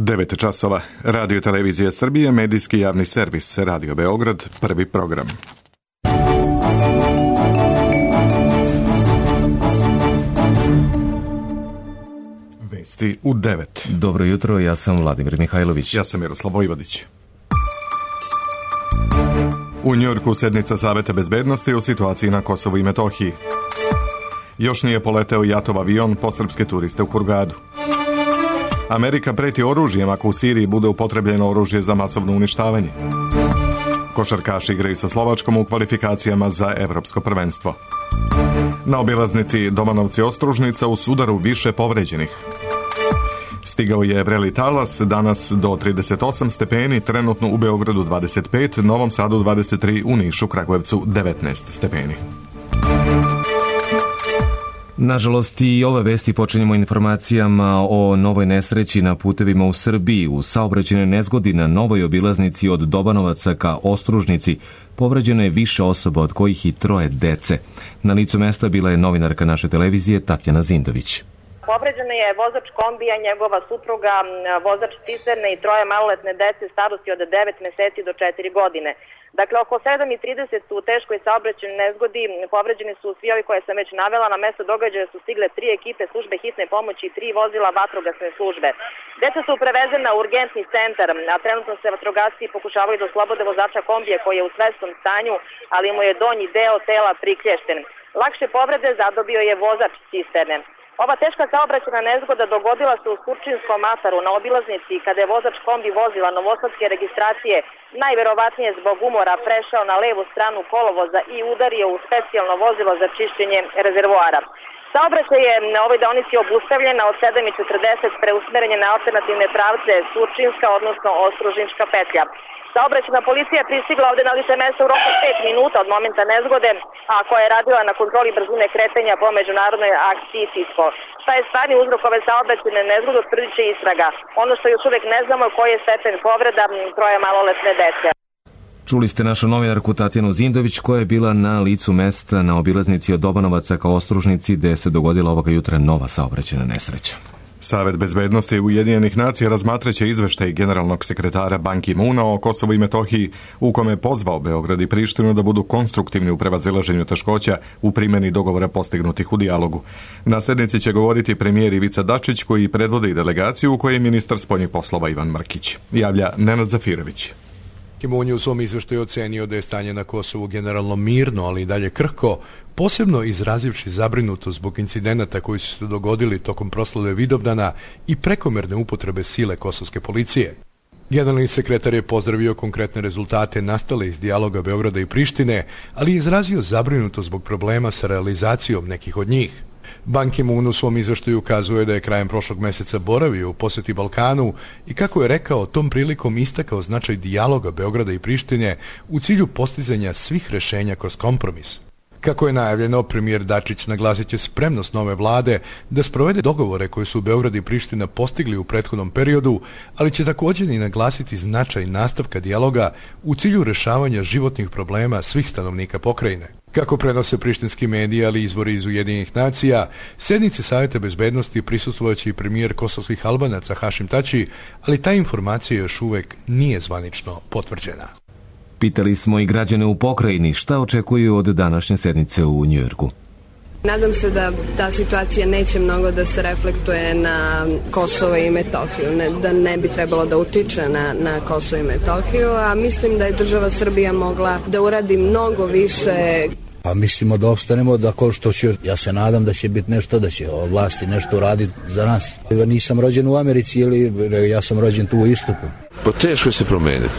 9 časova. Radio Televizija Srbije, medijski javni servis, Radio Beograd, prvi program. Vesti u 9. Dobro jutro, ja sam Vladimir Mihajlović. Ja sam Miroslav Vojvodić. U Njujorku sednica Saveta bezbednosti o situaciji na Kosovu i Metohiji. Još nije poleteo JAT-ov avion po srpske turiste u Hurgadu. Amerika preti oružjem ako u Siriji bude upotrebljeno oružje za masovno uništavanje. Košarkaši igraju sa Slovačkom u kvalifikacijama za evropsko prvenstvo. Na obilaznici Domanovci-Ostružnica u sudaru više povređenih. Stigao je vreli talas, danas do 38 stepeni, trenutno u Beogradu 25, Novom Sadu 23, u Nišu, Kragujevcu 19 stepeni. Nažalost, i ove vesti počinjemo informacijama o novoj nesreći na putevima u Srbiji. U saobraćajnoj nezgodi na novoj obilaznici od Dobanovaca ka Ostružnici povređeno je više osoba, od kojih i 3 dece. Na licu mesta bila je novinarka naše televizije Tatjana Zindović. Povređeno je vozač kombija, njegova supruga, vozač cisterne i 3 maloletne dece starosti od 9 meseci do 4 godine. Dakle, oko 7:30 u teškoj saobraćajnoj nezgodi povređeni su svi ovi koje sam već navela. Na mesto događaja su stigle 3 ekipe službe hitne pomoći i 3 vozila vatrogasne službe. Deca su prevezena u urgentni centar, a trenutno se vatrogasci pokušavaju da oslobode vozača kombije koji je u svesnom stanju, ali mu je donji deo tela priklješten. Lakše povrede zadobio je vozač cisterne. Ova teška saobraćajna nezgoda dogodila se u Surčinskom ataru na obilaznici kada je vozač kombi vozila novosadske registracije najverovatnije zbog umora prešao na levu stranu kolovoza i udario u specijalno vozilo za čišćenje rezervoara. Saobraćaj je na ovoj deonici obustavljena od 7:40 preusmerenje na alternativne pravce Surčinska, odnosno Ostružnička petlja. Saobraćajna policija je pristigla ovde na lice mesta u roku 5 minuta od momenta nezgode, a koja je radila na kontroli brzine kretanja po međunarodnoj akciji SISCO. Šta je stvarni uzrok ove saobraćajne nezgode, utvrdit će istraga. Ono što još uvek ne znamo je koji je stepen povreda 3 maloletne dece. Čuli ste našu novinarku Tatjanu Zindović, koja je bila na licu mesta na obilaznici od Dobanovaca ka Ostružnici, gde se dogodila ovoga jutra nova saobraćajna nesreća. Savet bezbednosti Ujedinjenih nacija razmatraće izveštaj generalnog sekretara Ban Ki-moona o Kosovu i Metohiji, u kome je pozvao Beograd i Prištinu da budu konstruktivni u prevazilaženju teškoća u primjeni dogovora postignutih u dijalogu. Na sednici će govoriti premijer Ivica Dačić, koji predvodi delegaciju u kojoj je ministar spoljnih poslova Ivan Mrkić. Javlja Nenad Zafirović. Ki-moon je u svom izveštaju ocenio da je stanje na Kosovu generalno mirno, ali i dalje krhko, posebno izrazivši zabrinutost zbog incidenata koji su se dogodili tokom proslave Vidovdana i prekomerne upotrebe sile kosovske policije. Generalni sekretar je pozdravio konkretne rezultate nastale iz dijaloga Beograda i Prištine, ali je izrazio zabrinutost zbog problema sa realizacijom nekih od njih. Ban Ki-moon u svom izveštaju ukazuje da je krajem prošlog meseca boravio u poseti Balkanu i, kako je rekao, tom prilikom istakao značaj dijaloga Beograda i Prištine u cilju postizanja svih rešenja kroz kompromis. Kako je najavljeno, premijer Dačić naglasit će spremnost nove vlade da sprovede dogovore koje su Beograd i Priština postigli u prethodnom periodu, ali će također i naglasiti značaj nastavka dijaloga u cilju rešavanja životnih problema svih stanovnika pokrajine. Kako prenose prištinski mediji, ali izvori iz Ujedinjenih nacija, sednice Saveta bezbednosti prisustvovaće i premijer kosovskih Albanaca Hašim Tači, ali ta informacija još uvek nije zvanično potvrđena. Pitali smo i građane u pokrajini šta očekuju od današnje sednice u Njujorku. Nadam se da ta situacija neće mnogo da se reflektuje na Kosovo i Metohiju, da ne bi trebalo da utiče na Kosovo i Metohiju, a mislim da je država Srbija mogla da uradi mnogo više. A mislimo da opstanemo, da ko što će, ja se nadam da će biti nešto, da će vlasti nešto uraditi za nas. Nisam rođen u Americi, ili ja sam rođen tu u istoku. Pa teško je se promeniti.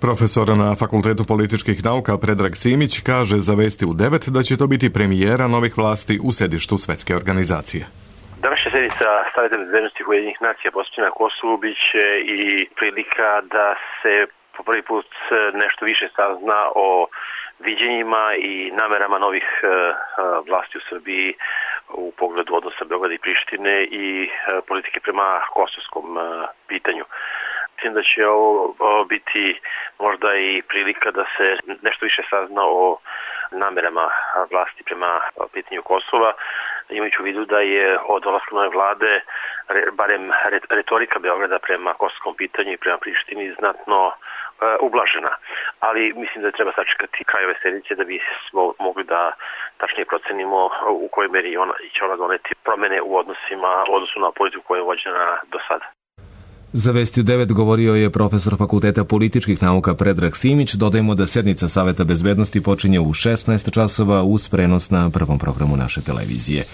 Profesor na Fakultetu političkih nauka Predrag Simić kaže za Vesti u 9 da će to biti premijera novih vlasti u sedištu Svetske organizacije. Današnja sednica Saveta bezbednosti Ujedinjenih nacija posvećena Kosovu biće i prilika da se po prvi put nešto više sazna o viđenjima i namerama novih vlasti u Srbiji u pogledu odnosa Beograda i Prištine i politike prema kosovskom pitanju. Mislim da će ovo biti možda i prilika da se nešto više sazna o namerama vlasti prema pitanju Kosova. imajući u vidu da je od dolaska nove vlade barem retorika Beograda prema kosovskom pitanju i prema Prištini znatno ublažena. Ali mislim da treba sačekati kraj ove sedmice da bismo mogli da tačnije procenimo u kojoj meri će ona doneti promene u odnosu na politiku koja je vođena do sada. Za Vesti u 9 govorio je profesor Fakulteta političkih nauka Predrag Simić. Dodajemo da sednica Saveta bezbednosti počinje u 16 časova uz prenos na prvom programu naše televizije.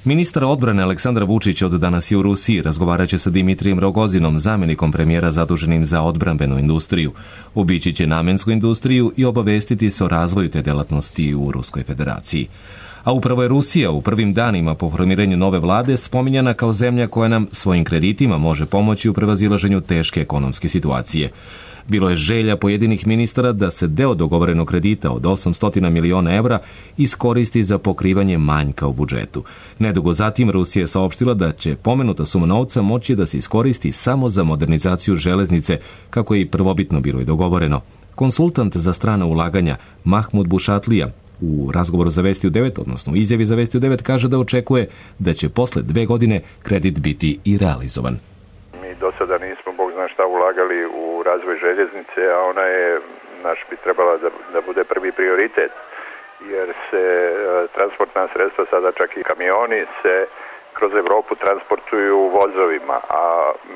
Ministar odbrane Aleksandar Vučić od danas je u Rusiji. Razgovaraće sa Dimitrijem Rogozinom, zamjenikom premijera zaduženim za odbrambenu industriju. Obići će namensku industriju i obavestiti se o razvoju te delatnosti u Ruskoj federaciji. A upravo je Rusija u prvim danima po formiranju nove vlade spominjana kao zemlja koja nam svojim kreditima može pomoći u prevazilaženju teške ekonomske situacije. Bilo je želja pojedinih ministara da se deo dogovorenog kredita od 800 miliona evra iskoristi za pokrivanje manjka u budžetu. Nedugo zatim Rusija je saopštila da će pomenuta suma novca moći da se iskoristi samo za modernizaciju železnice, kako je i prvobitno bilo i dogovoreno. Konsultant za strana ulaganja Mahmud Bušatlija u razgovoru za Vesti u 9, odnosno u izjavi za Vesti u 9, kaže da očekuje da će posle 2 godine kredit biti i realizovan. Mi do sada nismo, Bog zna šta, ulagali u razvoj željeznice, a ona je, bi trebala da bude prvi prioritet, jer se transportna sredstva, sada čak i kamioni, se kroz Evropu transportuju vozovima, a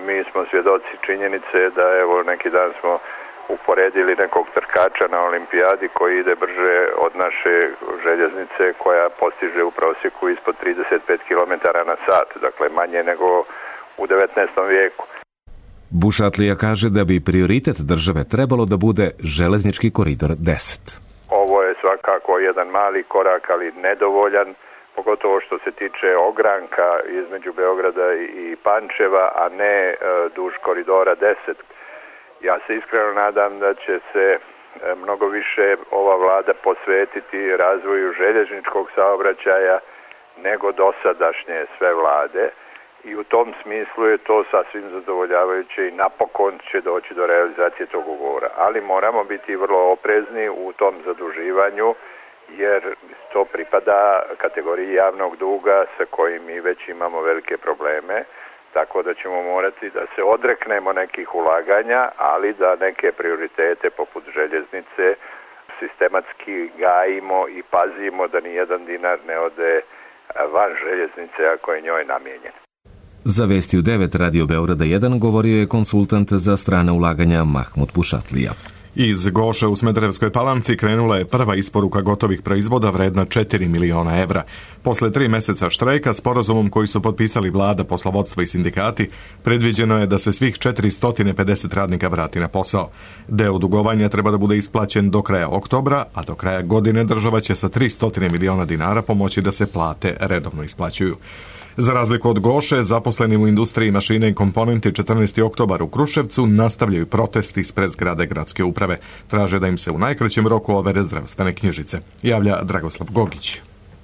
mi smo svjedoci činjenice da evo neki dan smo uporedili nekog trkača na olimpijadi koji ide brže od naše željeznice koja postiže u prosjeku ispod 35 km na sat, dakle manje nego u 19. vijeku. Bušatlija kaže da bi prioritet države trebalo da bude železnički koridor 10. Ovo je svakako jedan mali korak, ali nedovoljan, pogotovo što se tiče ogranka između Beograda i Pančeva, a ne duž koridora 10. Ja se iskreno nadam da će se mnogo više ova vlada posvetiti razvoju željezničkog saobraćaja nego dosadašnje sve vlade i u tom smislu je to sasvim zadovoljavajuće i napokon će doći do realizacije tog ugovora. Ali moramo biti vrlo oprezni u tom zaduživanju jer to pripada kategoriji javnog duga sa kojim mi već imamo velike probleme. Tako da ćemo morati da se odreknemo nekih ulaganja, ali da neke prioritete poput željeznice sistematski gajimo i pazimo da ni jedan dinar ne ode van željeznice ako je njoj namijenjen. Za Vesti u 9 Radio Beograda 1 govorio je konsultant za strana ulaganja Mahmud Bušatlija. Iz Goše u Smederevskoj Palanci krenula je prva isporuka gotovih proizvoda vredna 4 miliona evra. Posle 3 meseca štrajka, sporazumom koji su potpisali vlada, poslovodstvo i sindikati, predviđeno je da se svih 450 radnika vrati na posao. Deo dugovanja treba da bude isplaćen do kraja oktobra, a do kraja godine država će sa 300 miliona dinara pomoći da se plate redovno isplaćuju. Za razliku od Goše, zaposleni u industriji mašine i komponenti 14. oktobar u Kruševcu nastavljaju protest ispred zgrade gradske uprave. Traže da im se u najkraćem roku overe zdravstvene knjižice. Javlja Dragoslav Gogić.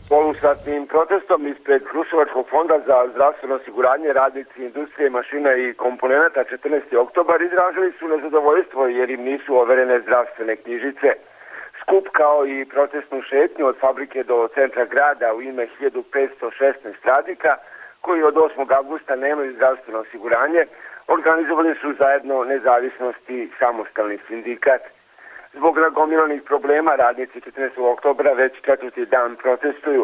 Polusatnim protestom ispred Kruševačkog fonda za zdravstveno osiguranje radnici industrije mašina i komponenata 14. oktobar izražili su nezadovoljstvo jer im nisu overene zdravstvene knjižice. Skup kao i protestnu šetnju od fabrike do centra grada u ime 1516 radnika koji od 8. avgusta nemaju zdravstveno osiguranje organizovali su zajedno Nezavisnost i Samostalni sindikat. Zbog nagomilanih problema radnici 14. oktobra već 4. dan protestuju.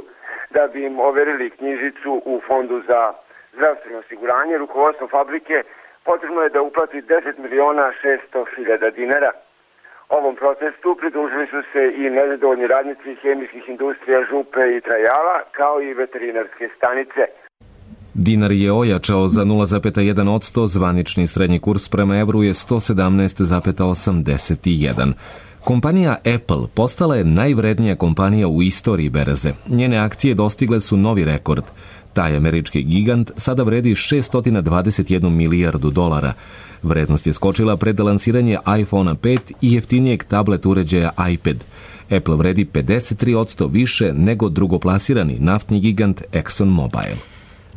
Da bi im overili knjižicu u fondu za zdravstveno osiguranje, rukovodstvo fabrike potrebno je da uplati 10.600.000 dinara. Ovom protestu pridružili su se i nezadovoljni radnici hemijskih industrija Župe i Trajala, kao i veterinarske stanice. Dinar je ojačao za 0,1%, zvanični srednji kurs prema evru je 117,81. Kompanija Apple postala je najvrednija kompanija u istoriji berze. Njene akcije dostigle su novi rekord. Taj američki gigant sada vredi 621 milijardu dolara. Vrednost je skočila pred lansiranje iPhone 5 i jeftinijeg tablet uređaja iPad. Apple vredi 53% više nego drugoplasirani naftni gigant ExxonMobil.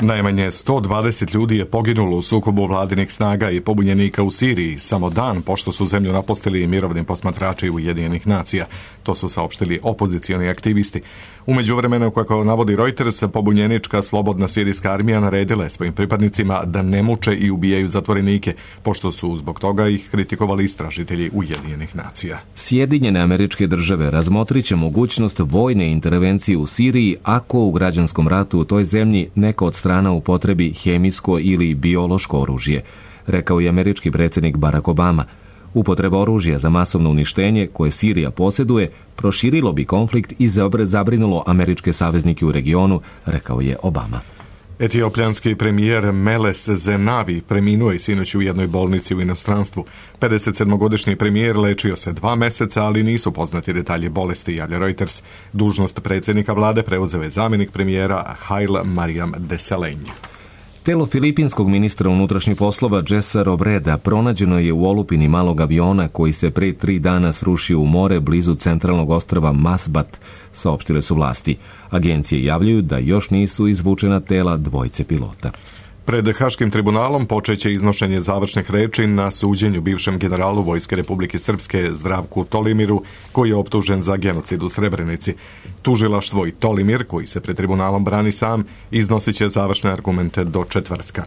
Najmanje 120 ljudi je poginulo u sukobu vladinih snaga i pobunjenika u Siriji, samo dan pošto su zemlju napustili mirovni posmatrači Ujedinjenih nacija. To su saopštili opozicioni aktivisti. U međuvremenu, kako navodi Reuters, pobunjenička slobodna sirijska armija naredila je svojim pripadnicima da ne muče i ubijaju zatvorenike, pošto su zbog toga ih kritikovali istražitelji Ujedinjenih nacija. Sjedinjene Američke Države razmotrit će mogućnost vojne intervencije u Siriji ako u građanskom ratu u toj zemlji neka od strana upotrebi hemijsko ili biološko oružje, rekao je američki predsjednik Barack Obama. Upotreba oružja za masovno uništenje koje Sirija posjeduje proširilo bi konflikt i zabrinulo američke saveznike u regionu, rekao je Obama. Etiopljanski premijer Meles Zenavi preminuo je sinoć u jednoj bolnici u inostranstvu. 57-godišnji premijer lečio se 2 meseca, ali nisu poznati detalji bolesti, javlja Reuters. Dužnost predsjednika vlade preuzeo je zamjenik premijera Haile Mariam Desalegn. Telo filipinskog ministra unutrašnjih poslova Jessa Robreda pronađeno je u olupini malog aviona koji se pre 3 dana srušio u more blizu centralnog ostrva Masbat, saopštile su vlasti. Agencije javljaju da još nisu izvučena tela dvojice pilota. Pred Haškim tribunalom počeće iznošenje završnih reči na suđenju bivšem generalu Vojske Republike Srpske Zdravku Tolimiru, koji je optužen za genocid u Srebrenici. Tužilaštvo i Tolimir, koji se pred tribunalom brani sam, iznosit će završne argumente do četvrtka.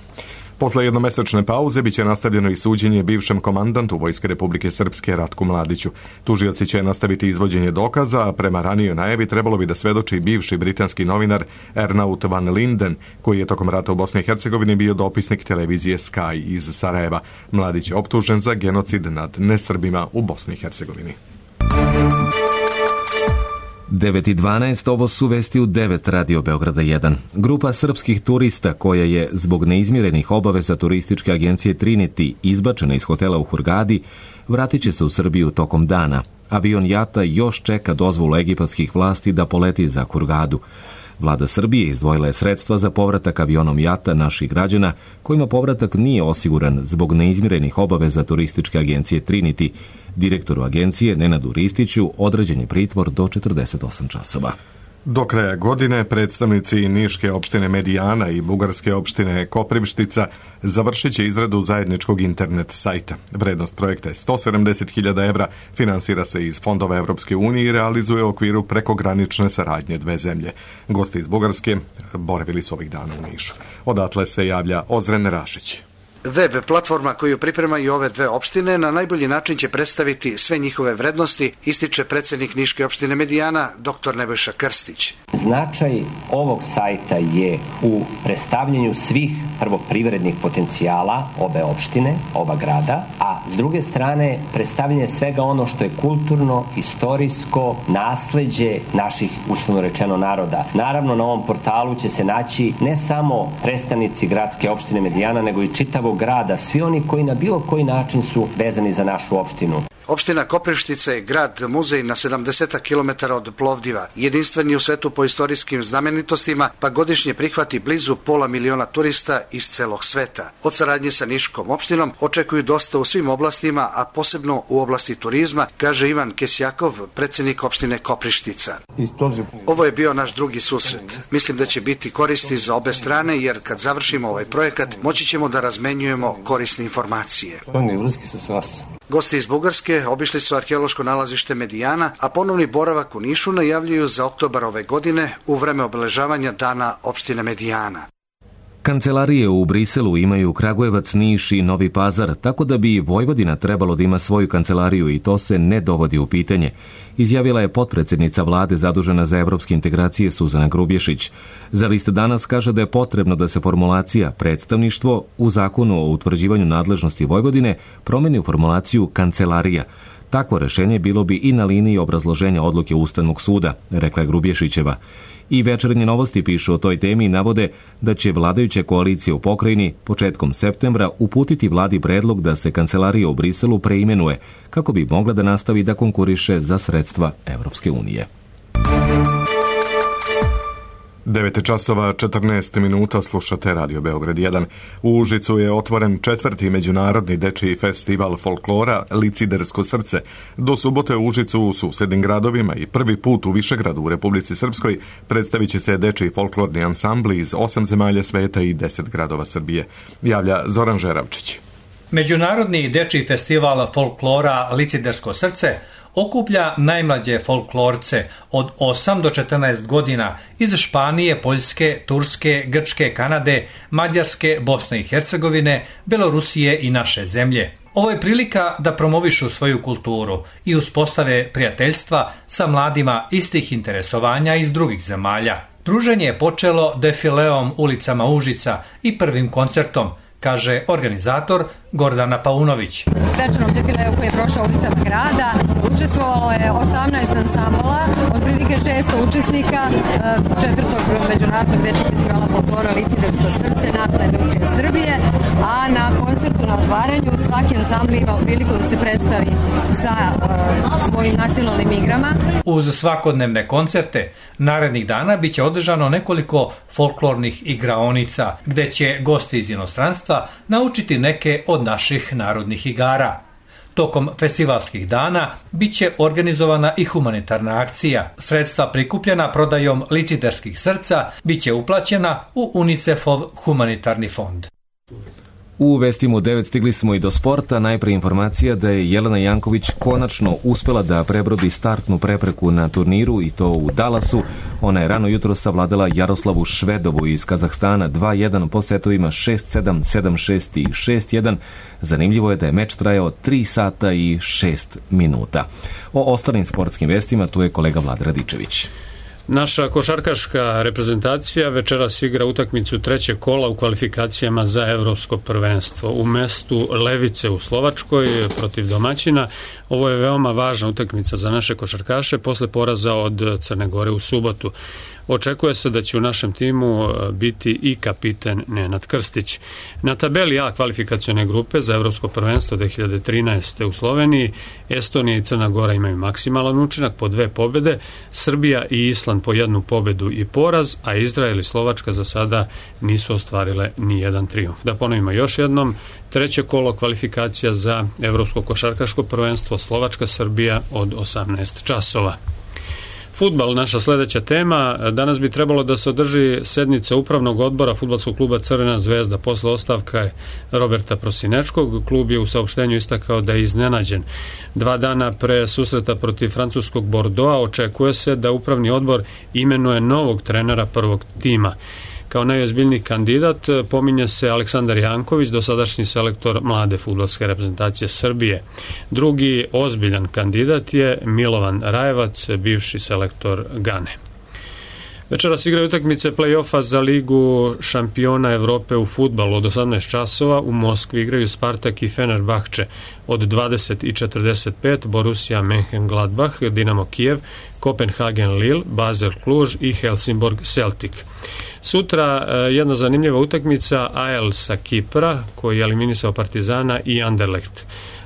Posle jednomesečne pauze biće nastavljeno i suđenje bivšem komandantu Vojske Republike Srpske Ratku Mladiću. Tužioci će nastaviti izvođenje dokaza, a prema ranijoj najavi trebalo bi da svedoči bivši britanski novinar Ernaut van Linden, koji je tokom rata u Bosni i Hercegovini bio dopisnik televizije Sky iz Sarajeva. Mladić je optužen za genocid nad nesrbima u Bosni i Hercegovini. 9:12, ovo su vesti u 9 Radio Beograda 1. Grupa srpskih turista koja je zbog neizmirenih obaveza turističke agencije Trinity izbačena iz hotela u Hurgadi, vratit će se u Srbiju tokom dana. Avion JAT-a još čeka dozvolu egipatskih vlasti da poleti za Hurgadu. Vlada Srbije izdvojila je sredstva za povratak avionom JAT-a naših građana, kojima povratak nije osiguran zbog neizmirenih obaveza turističke agencije Trinity. Direktoru agencije Nenadu Ristiću određen je pritvor do 48 časova. Do kraja godine predstavnici Niške opštine Medijana i Bugarske opštine Koprivštica završit će izradu zajedničkog internet sajta. Vrednost projekta je 170.000 evra, finansira se iz fondova Evropske unije i realizuje u okviru prekogranične saradnje dve zemlje. Gosti iz Bugarske boravili su ovih dana u Nišu. Odatle se javlja Ozren Rašić. Web platforma koju pripremaju ove dve opštine na najbolji način će predstaviti sve njihove vrednosti, ističe predsjednik Niške opštine Medijana, dr. Nebojša Krstić. Značaj ovog sajta je u predstavljanju svih privrednih potencijala obe opštine, oba grada, a s druge strane predstavljanje svega ono što je kulturno, istorijsko nasleđe naših, uslovno rečeno, naroda. Naravno, na ovom portalu će se naći ne samo predstavnici gradske opštine Medijana, nego i čitavog grada, svi oni koji na bilo koji način su vezani za našu opštinu. Opština Koprivštica je grad muzej na 70 km od Plovdiva, jedinstveni u svetu po istorijskim znamenitostima, pa godišnje prihvati blizu 500.000 turista iz celog sveta. Od saradnje sa Niškom opštinom očekuju dosta u svim oblastima, a posebno u oblasti turizma, kaže Ivan Kesjakov, predsjednik opštine Koprivštica. Ovo je bio naš drugi susret. Mislim da će biti koristi za obe strane, jer kad završimo ovaj projekat, moći ćemo da razmenjujemo korisne informacije. Gosti iz Bugarske obišli su arheološko nalazište Medijana, a ponovni boravak u Nišu najavljuju za oktobar ove godine u vreme obeležavanja dana opštine Medijana. Kancelarije u Briselu imaju Kragujevac, Niš i Novi Pazar, tako da bi Vojvodina trebalo da ima svoju kancelariju i to se ne dovodi u pitanje, izjavila je potpredsjednica vlade zadužena za evropske integracije Suzana Grubješić. Za List danas kaže da je potrebno da se formulacija predstavništvo u zakonu o utvrđivanju nadležnosti Vojvodine promeni u formulaciju kancelarija. Takvo rešenje bilo bi i na liniji obrazloženja odluke Ustavnog suda, rekla je Grubješićeva. I Večernje novosti pišu o toj temi i navode da će vladajuća koalicija u pokrajini početkom septembra uputiti vladi predlog da se kancelarija u Briselu preimenuje, kako bi mogla da nastavi da konkuriše za sredstva Evropske unije. 9 časova 14 minuta, slušate Radio Beograd 1. U Užicu je otvoren 4. međunarodni dečiji festival folklora Licidersko srce. Do subote u Užicu u susednim gradovima i prvi put u Višegradu u Republici Srpskoj predstavit će se dečiji folklorni ansambli iz 8 zemalja sveta i 10 gradova Srbije. Javlja Zoran Žeravčić. Međunarodni dečiji festival folklora Licidersko srce okuplja najmlađe folklorce od 8 do 14 godina iz Španije, Poljske, Turske, Grčke, Kanade, Mađarske, Bosne i Hercegovine, Belorusije i naše zemlje. Ovo je prilika da promovišu svoju kulturu i uspostave prijateljstva sa mladima istih interesovanja iz drugih zemalja. Druženje je počelo defileom ulicama Užica i prvim koncertom, kaže organizator Gordana Paunović. U svečanom defileu koji je prošao ulicama grada učestvovalo je 18 ansambala, otprilike 600 učesnika 4. međunarodnog dečijeg festivala folklora Licidersko srce Naftna industrija Srbije, a na koncertu na otvaranju svaki ansambl imao priliku da se predstavi sa svojim nacionalnim igrama. Uz svakodnevne koncerte, narednih dana biće održano nekoliko folklornih igraonica, gde će gosti iz inostranstva naučiti neke od naših narodnih igara. Tokom festivalskih dana biće organizovana i humanitarna akcija. Sredstva prikupljena prodajom liciderskih srca biće uplaćena u UNICEF-ov humanitarni fond. U vestima u 9 stigli smo i do sporta. Najpre informacija da je Jelena Janković konačno uspela da prebrodi startnu prepreku na turniru i to u Dallasu. Ona je rano jutro savladala Jaroslavu Švedovu iz Kazahstana 2-1 po setovima 6-7, 7-6 i 6-1. Zanimljivo je da je meč trajao 3 sata i 6 minuta. O ostalim sportskim vestima tu je kolega Vlada Radičević. Naša košarkaška reprezentacija večeras igra utakmicu trećeg kola u kvalifikacijama za evropsko prvenstvo u mestu Levice u Slovačkoj protiv domaćina. Ovo je veoma važna utakmica za naše košarkaše posle poraza od Crne Gore u subotu. Očekuje se da će u našem timu biti i kapiten Nenad Krstić. Na tabeli A kvalifikacione grupe za evropsko prvenstvo 2013. u Sloveniji Estonija i Crna Gora imaju maksimalan učinak po 2 pobede, Srbija i Island po 1 pobedu i poraz, a Izrael i Slovačka za sada nisu ostvarile ni jedan trijumf. Da ponovimo još jednom, treće kolo kvalifikacija za evropsko košarkaško prvenstvo Slovačka-Srbija od 18 časova. Fudbal, naša sledeća tema. Danas bi trebalo da se održi sednica upravnog odbora fudbalskog kluba Crvena zvezda posle ostavka Roberta Prosinečkog. Klub je u saopštenju istakao da je iznenađen. 2 dana pre susreta protiv francuskog Bordeauxa očekuje se da upravni odbor imenuje novog trenera prvog tima. Kao najozbiljniji kandidat pominje se Aleksandar Janković, dosadašnji selektor mlade fudbalske reprezentacije Srbije. Drugi ozbiljan kandidat je Milovan Rajevac, bivši selektor Gane. Večeras igraju utakmice play-offa za Ligu šampiona Evrope u fudbalu od 18 časova. U Moskvi igraju Spartak i Fenerbahče od 20:45, Borussia Mönchengladbach, Dinamo Kijev, Kopenhagen Lille, Basel Cluj i Helsingborg Celtic. Sutra jedna zanimljiva utakmica AEL sa Kipra koji je eliminisao Partizana i Anderlecht.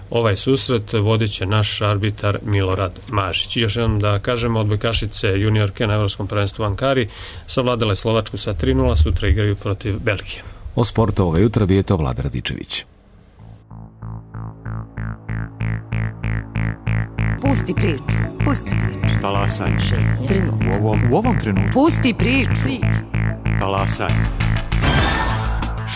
Ovaj susret vodit će naš arbitar Milorad Mažić. Još jednom da kažemo, odbojkašice juniorke na evropskom prvenstvu u Ankari savladale Slovačku sa 3:0, sutra igraju protiv Belgije. O sportu ovoga jutra bio je to Vlada Radičević. Pusti priču. Pusti priču. Talasaj. U ovom trenutku. Pusti priču. Talasaj.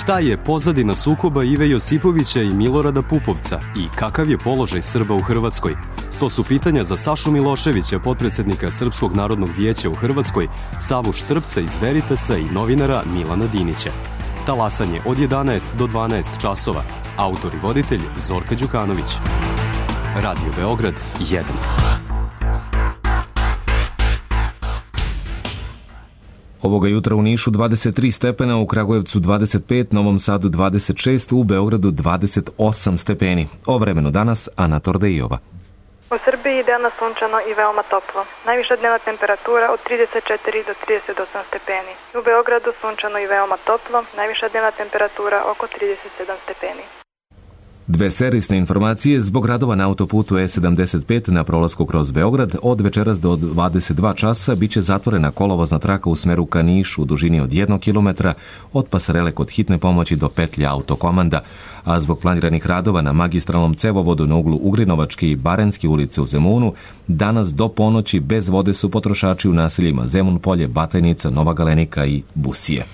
Šta je pozadina sukoba Ive Josipovića i Milorada Pupovca i kakav je položaj Srba u Hrvatskoj? To su pitanja za Sašu Miloševića, potpredsednika Srpskog narodnog vijeća u Hrvatskoj, Savu Štrpca iz Veritasa i novinara Milana Dinića. Talasanje od 11 do 12 časova. Autor i voditelj Zorka Đukanović. Radio Beograd 1. Ovoga jutra u Nišu 23 stepena, u Kragujevcu 25, Novom Sadu 26, u Beogradu 28 stepeni. O vremenu danas Ana Tordejova. U Srbiji danas sunčano i veoma toplo. Najviša dnevna temperatura od 34 do 38 stepeni. U Beogradu sunčano i veoma toplo, najviša dnevna temperatura oko 37 stepeni. Dve servisne informacije zbog radova na autoputu E75 na prolasku kroz Beograd. Od večeras do 22 časa biće zatvorena kolovozna traka u smeru ka Nišu u dužini od 1 km od pasarele kod hitne pomoći do petlja autokomanda, a zbog planiranih radova na magistralnom cevovodu na uglu Ugrinovačke i Barenske ulice u Zemunu, danas do ponoći bez vode su potrošači u naseljima Zemun Polje, Batajnica, Nova Galenika i Busije.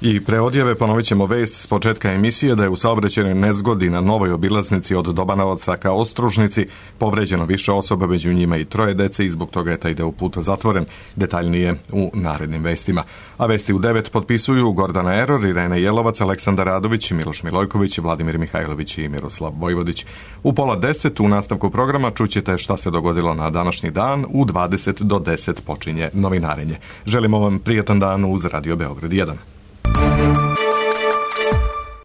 I pre odjave ponovit ćemo vest s početka emisije da je u saobraćajnoj nezgodi na novoj obilaznici od Dobanovaca ka Ostružnici povređeno više osoba, među njima i 3 dece i zbog toga je taj deo puta zatvoren. Detaljnije u narednim vestima. A vesti u 9 potpisuju Gordana Eror, Irena Jelovac, Aleksandar Radović, Miloš Milojković, Vladimir Mihajlović i Miroslav Vojvodić. U 9:30 u nastavku programa čućete šta se dogodilo na današnji dan. U 20 do 10 počinje novinarenje. Želimo vam prijatan dan uz Radio Beograd 1.